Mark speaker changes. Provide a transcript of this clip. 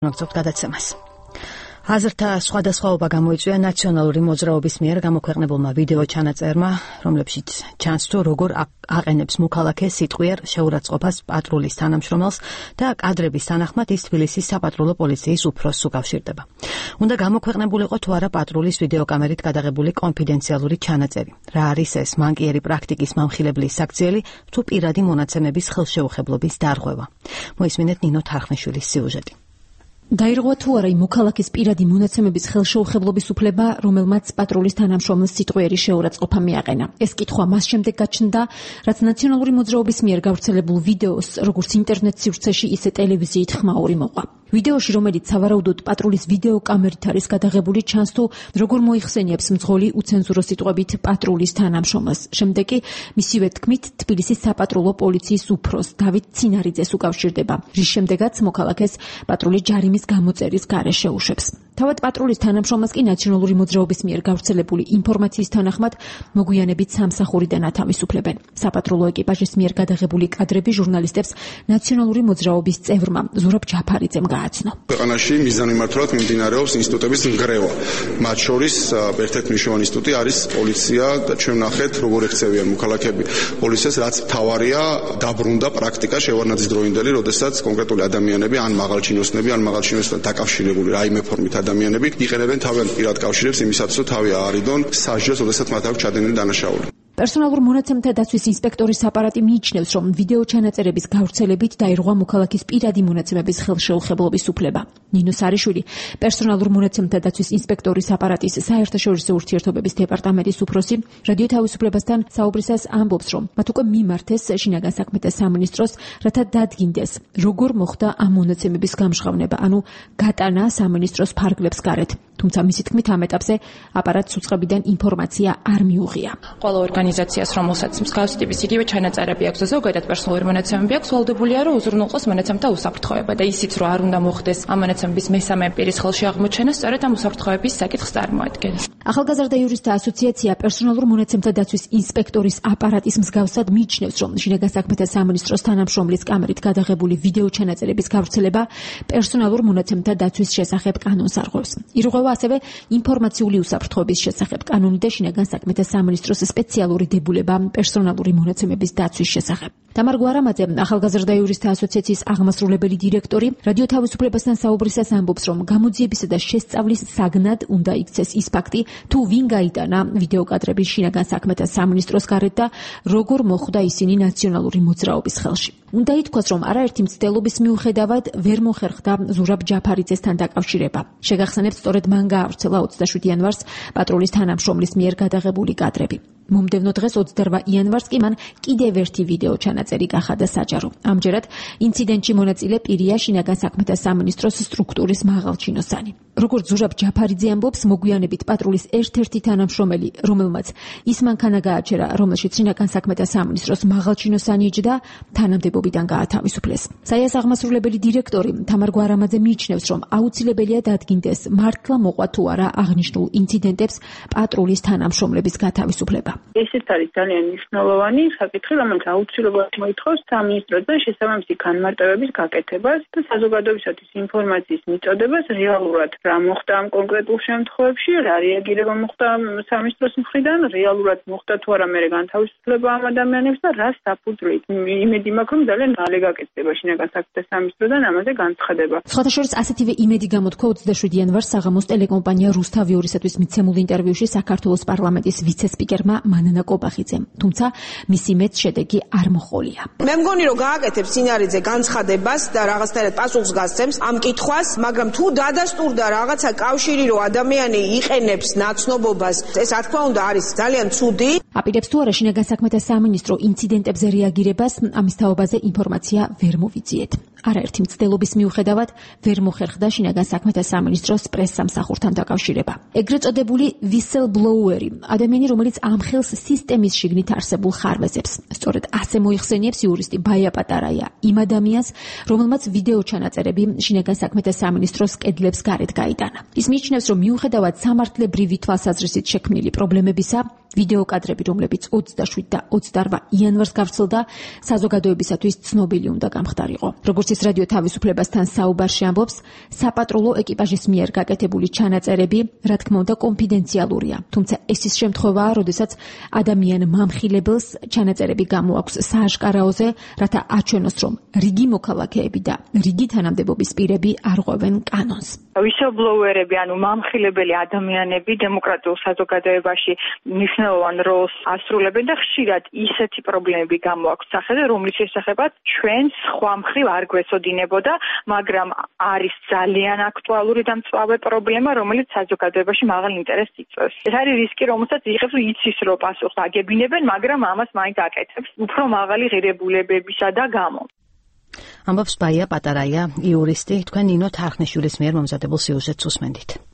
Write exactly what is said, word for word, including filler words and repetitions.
Speaker 1: მოგწევთ გადაცემას. აზრთა სხვადასხვაობა გამოიწვია ნაციონალური მოძრაობის მიერ გამოქვეყნებულმა ვიდეო ჩანაწერმა, რომლებშიც ჩანს თუ როგორ აყენებს მოქალაქე სიტყვიერ შეურაცხყოფას პატრულის თანამშრომელს და კადრების თანახმად ის თბილისის საპატრულო პოლიციის უფროსს უკავშირდება. უნდა გამოქვეყნებულიყო თუ არა პატრულის ვიდეოკამერით გადაღებული კონფიდენციალური ჩანაწერი. რა არის ეს მანკიერი პრაქტიკის მამხილებლის საქციელი თუ პირადი მონაცემების ხელშეუხებლობის დარღვევა. მოისმინეთ ნინო თარხნიშვილის სიუჟეტი.
Speaker 2: დაირღვა თუ არა იმ მოქალაქის პირადი მონაცემების ხელშეუხებლობის უფლება, რომელმაც პატრულის თანამშრომელს სიტყვიერი შეურაცხყოფა მიაყენა. ეს კითხვა მას შემდეგ გაჩნდა, რაც ნაციონალური მოძრაობის მიერ გავრცელებულ ვიდეოს, როგორც ინტერნეტ სივრცეში, ისე ტელევიზიით ხმაური მოყვა. ვიდეოში, რომელიც სავარაუდოდ პატრულის ვიდეოკამერით არის გადაღებული, ჩანს თუ როგორ მოიხსენიებს მძღოლი უცენზურო სიტყვებით პატრულის თანამშრომელს. შემდეგ კი მისივე თქმით თბილისის საპატრულო პოლიციის უფროს დავით ცინარიძეს უკავშირდება, რის შემდეგაც მოქალაქეს პატრული ჯარიმის გამოწერის გარეშე შეუშვებს. თავად პატრულის თანამშრომელს კი ნაციონალური მოძრაობის მიერ გავრცელებული ინფორმაციის თანახმად მოგვიანებით სამსახურიდან ათავისუფლებენ. საპატრულო ეკიპაჟის მიერ გადაღებული კადრები ჟურნალისტებს ნაციონალური მოძრაობის წევრმა ზურაბ ჯაფარიძემ გააცნო.
Speaker 3: ქვეყანაში მიზანმიმართულად მიმდინარეობს ინსტიტუტების ნგრევა. მათ შორის ერთ-ერთი მნიშვნელოვანი ინსტიტუტი არის პოლიცია და ჩვენ ვნახეთ როგორ ეხცევიან მოქალაქეები პოლიციას, რაც მთავარია დაბრუნდა პრაქტიკა შევარდნაძისდროინდელი, როდესაც კონკრეტული ადამიანები ან მაღალჩინოსნები ან მაღალჩინოსთან დაკავშირებული რაიმე ფორმით ადამიანები იყენებენ თავიანთ პირად კავშირებს იმისათვის, რომ თავი აარიდონ სასჯელს, როდესაც მათ აქვს ჩადენილი დანაშაული.
Speaker 2: პერსონალურ მონაცემთა დაცვის ინსპექტორის აპარატი მიიჩნევს, რომ ვიდეო ჩანაწერების გავრცელებით დაირღვა მოქალაქის პირადი მონაცემების ხელშეუხებლობის უფლება. ნინო სარიშვილი, პერსონალურ მონაცემთა დაცვის ინსპექტორის აპარატის საერთაშორისო ურთიერთობების დეპარტამენტის უფროსი, რადიო თავისუფლებასთან საუბრისას ამბობს, რომ მათ უკვე მიმართეს შინაგან საქმეთა სამინისტროს, რათა დადგინდეს, როგორ მოხდა ამ მონაცემების გამჟღავნება, ანუ გატანა სამინისტროს ფარგლებს გარეთ. თუმცა მისი თქმით ამ ეტაპზე აპარატს უწყებიდან ინფორმაცია არ მიუღია.
Speaker 4: ყველა ორგანიზაციას, რომელსაც მსგავსი ტიპის იგივე ჩანაწერები აქვს და ზოგადად პერსონალური მონაცემები აქვს, ვალდებულია, რომ უზრუნველყოს მონაცემთა უსაფრთხოება და ისიც, რომ არ უნდა მოხდეს ამ მონაცემების მესამე პირის ხელში აღმოჩენა, სწორედ ამ უსაფრთხოების საკითხს წარმოადგენს.
Speaker 2: ახალგაზრდა იურისტთა ასოციაცია პერსონალურ მონაცემთა დაცვის ინსპექტორის აპარატის მსგავსად მიიჩნევს, რომ შინაგან საქმეთა სამინისტროს თანამშრომლის კამერით გადაღებული ვიდეო ჩანაწერების გავრცელება პერსონალურ მონაცემთა დაცვის შესახებ კანონს არღვევს. ირღვევა ასევე ინფორმაციული უსაფრთხოების შესახებ კანონი და შინაგან საქმეთა სამინისტროს სპეციალური დებულება პერსონალური მონაცემების დაცვის შესახებ. თამარ გვარამაძე, ახალგაზრდა იურისტთა ასოციაციის აღმასრულებელი დირექტორი, რადიო თავისუფლებასთან საუბრისას ამბობს, რომ გამოძიებისა და შესწავლის საგნად უნდა იქცეს ის ფაქტი, თუ ვინ გაიტანა ვიდეოკადრები შინაგან საქმეთა სამინისტროს გარეთ და როგორ მოხვდა ისინი ნაციონალური მოძრაობის ხელში. უნდა ითქვას, რომ არაერთი მცდელობის მიუხედავად ვერ მოხერხდა ზურაბ ჯაფარიძესთან დაკავშირება. შეგახსენებთ, სწორედ მან გაავრცელა ოცდაშვიდი იანვარს პატრულის თანამშრომლის მიერ გადაღებული კადრები. მომდევნო დღეს ოცდაორმა იანვარს კი მან კიდევ ერთი ვიდეო ჩანაწერი გახადა საჯარო. ამჯერად ინციდენტში მონაწილე პირია შინაგან საქმეთა სამინისტროს სტრუქტურის მაღალჩინოსანი. როგორც ზურაბ ჯაფარიძე ამბობს, მოგვიანებით პატრულის ერთ-ერთი თანამშრომელი, რომელმაც ის მანქანა გააჩერა, რომელშიც შინაგან საქმეთა სამინისტროს მაღალჩინოსანი იჯდა, თანამდებობიდან გაათავისუფლეს. საიას აღმასრულებელი დირექტორი თამარ გვარამაძე მიიჩნევს, რომ აუცილებელია დადგინდეს, მართლა მოყვა თუ არა აღნიშნულ ინციდენტებს პატრულის თანამშრომლების გათავისუფლება.
Speaker 5: ესეც არის ძალიან მნიშვნელოვანი საკითხი, რომელიც აუცილებლად მოითხოვს სამინისტროდან შესაბამისი განმარტებების გაკეთებას და საზოგადოებისათვის ინფორმაციის მიწოდებას რეალურად რა მოხდა ამ კონკრეტულ შემთხვევებში, რა რეაგირება მოხდა სამინისტროს მხრიდან, რეალურად მოხდა თუ არა მერე განთავისუფლება ამ ადამიანებს და რა საფუძვლით. იმედი მაქვს, რომ ძალიან მალე გაკეთდება შინაგან საქმეთა სამინისტროდან ამაზე განცხადება.
Speaker 2: სხვათა შორის ასეთივე იმედი გამოთქვა ოცდაშვიდი იანვარს საღამოს ტელეკომპანია რუსთავიორისათვის მიცემულ ინტერვიუში საქართველოს პარლამენტის ვიცე-სპიკერმა მანანა კობახიძემ, თუმცა მისი მეც შედეგი არ მოჰყოლია.
Speaker 6: მე მგონი, რომ გააკეთებს ცინარიძე განცხადებას და რაღაცნაირად პასუხს გასცემს ამ კითხვას, მაგრამ თუ დადასტურდა რაღაცა კავშირი, რომ ადამიანი იყენებს ნაცნობობას, ეს რა თქმა უნდა არის ძალიან ცუდი.
Speaker 2: აპირებს თუ არა შინაგან საქმეთა სამინისტრო ინციდენტებზე რეაგირებას, ამის თაობაზე ინფორმაცია ვერ მოვიძიეთ. არაერთი მცდელობის მიუხედავად ვერ მოხერხდა შინაგან საქმეთა სამინისტროს პრესსამსახურთან დაკავშირება. ეგრეთ წოდებული whistleblower-ი, ადამიანი, რომელიც ამხელს სისტემის შიგნით არსებულ ხარვეზებს. სწორედ ასე მოიხსენიებს იურისტი ბაია პატარაია იმ ადამიანს, რომელმაც ვიდეო ჩანაწერები შინაგან საქმეთა სამინისტროს კედლებს გარეთ გაიტანა. ის მიიჩნევს, რომ მიუხედავად სამართლებრივი თვალსაზრისით შექმნილი პრობლემებისა, ვიდეო კადრები, რომლებიც ოცდაშვიდ და ოცდაორ იანვარს გავრცელდა, საზოგადოებისათვის ცნობილი უნდა გამხდარიყო. როგორც ის რადიო თავისუფლებასთან საუბარში ამბობს, საპატრულო ეკიპაჟის მიერ გაკეთებული ჩანაწერები, რა თქმა უნდა, კონფიდენციალურია. თუმცა ეს ის შემთხვევაა, როდესაც ადამიან მამხილებელს ჩანაწერები გამოაქვს სააშკარაოზე, რათა აჩვენოს, რომ რიგი მოქალაქეები და რიგი თანამდებობის პირები არ ყვევენ კანონს.
Speaker 7: Whistleblower-ები, ანუ მამხილებელი ადამიანები დემოკრატიულ საზოგადოებაში მნიშვნელოვან როლს ასრულებენ და ხშირად ისეთი პრობლემები გამოაქვს სახელზე, რომლის შესახებაც ჩვენ სხვა მხრივ არ გვეცოდინებოდა, მაგრამ არის ძალიან აქტუალური და მწვავე პრობლემა, რომელიც საზოგადოებაში მაღალ ინტერესს იწვევს. ეს არის რისკი, რომელსაც იღებს, რომ იცის, რომ პასუხს აგებინებენ, მაგრამ ამას მაინც აკეთებს უფრო მაღალი ღირებულებებისა და გამო.
Speaker 1: ამბობს ბაია პატარაია, იურისტი, თქვენ ნინო თარხნიშვილის მიერ მომზადებულ სიუჟეტს უსმენთ.